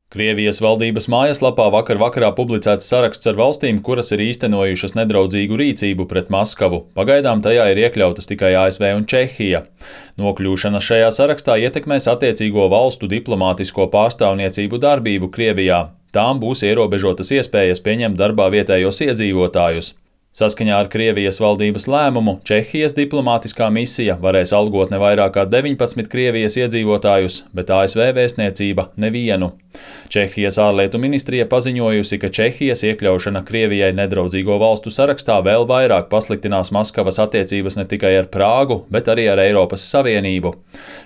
Krievijas valdības mājaslapā vakarā publicēts saraksts ar valstīm, kuras ir īstenojušas nedraudzīgu rīcību pret Maskavu. Pagaidām tajā ir iekļautas tikai ASV un Čehija. Nokļūšana šajā sarakstā ietekmēs attiecīgo valstu diplomātisko pārstāvniecību darbību Krievijā. Tām būs ierobežotas iespējas pieņemt darbā vietējos iedzīvotājus. Saskaņā ar Krievijas valdības lēmumu Čehijas diplomātiskā misija varēs algot ne vairāk kā 19 Krievijas iedzīvotājus, bet ASV vēstniecība nevienu. Čehijas ārlietu ministrija paziņojusi, ka Čehijas iekļaušana Krievijai nedraudzīgo valstu sarakstā vēl vairāk pasliktinās Maskavas attiecības ne tikai ar Prāgu, bet arī ar Eiropas Savienību.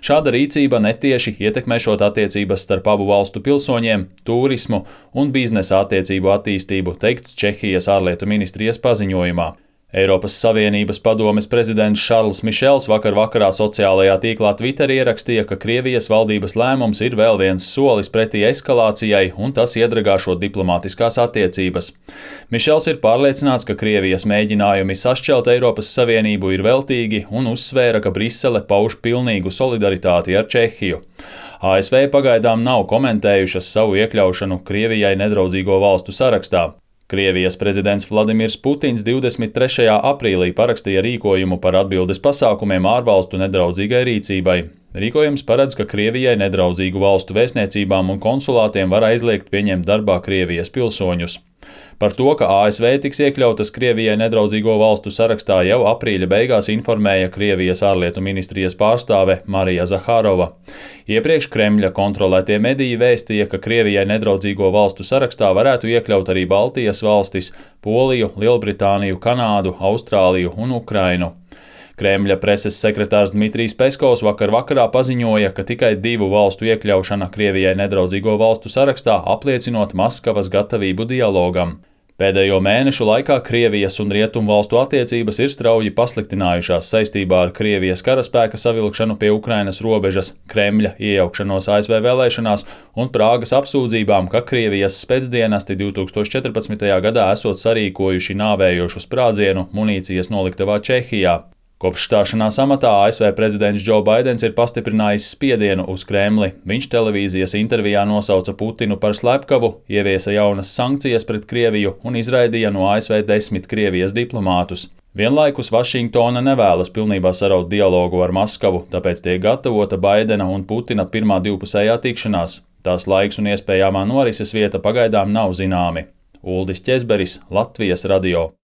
Šāda rīcība netieši ietekmēšot attiecības starp abu valstu pilsoņiem, turismu un biznesa attiecību attīstību, teikts Čehijas ārlietu ministrijas paziņojumā. Eiropas Savienības padomes prezidents Šarls Mišels vakarā sociālajā tīklā Twitter ierakstīja, ka Krievijas valdības lēmums ir vēl viens solis pretī eskalācijai un tas iedragāšot diplomātiskās attiecības. Mišels ir pārliecināts, ka Krievijas mēģinājumi sašķelt Eiropas Savienību ir veltīgi un uzsvēra, ka Brisele pauž pilnīgu solidaritāti ar Čehiju. ASV pagaidām nav komentējušas savu iekļaušanu Krievijai nedraudzīgo valstu sarakstā. Krievijas prezidents Vladimirs Putins 23. aprīlī parakstīja rīkojumu par atbildes pasākumiem ārvalstu nedraudzīgai rīcībai. Rīkojums paredz, ka Krievijai nedraudzīgu valstu vēstniecībām un konsulātiem var aizliegt pieņemt darbā Krievijas pilsoņus. Par to, ka ASV tiks iekļautas Krievijai nedraudzīgo valstu sarakstā, jau aprīļa beigās informēja Krievijas ārlietu ministrijas pārstāve Marija Zahārova. Iepriekš Kremļa kontrolētie mediji vēstīja, ka Krievijai nedraudzīgo valstu sarakstā varētu iekļaut arī Baltijas valstis, Poliju, Lielbritāniju, Kanādu, Austrāliju un Ukrainu. Kremļa preses sekretārs Dmitrijs Peskovs vakarā paziņoja, ka tikai 2 valstu iekļaušana Krievijai nedraudzīgo valstu sarakstā apliecinot Maskavas gatavību dialogam. Pēdējo mēnešu laikā Krievijas un Rietumu valstu attiecības ir strauji pasliktinājušās saistībā ar Krievijas karaspēka savilkšanu pie Ukrainas robežas, Kremļa iejaukšanos ASV vēlēšanās un Prāgas apsūdzībām, ka Krievijas spēcdienesti 2014. gadā esot sarīkojuši nāvējošu sprādzienu munīcijas noliktavā Čehijā. Kopš stāšanās amatā ASV prezidents Džo Baidens ir pastiprinājis spiedienu uz Kremli. Viņš televīzijas intervijā nosauca Putinu par slepkavu, ieviesa jaunas sankcijas pret Krieviju un izraidīja no ASV 10 Krievijas diplomātus. Vienlaikus Vašingtona nevēlas pilnībā saraut dialogu ar Maskavu, tāpēc tiek gatavota Baidena un Putina pirmā divpusējā tikšanās. Tās laiks un iespējamā norises vieta pagaidām nav zināmi. Uldis Ķezberis, Latvijas radio.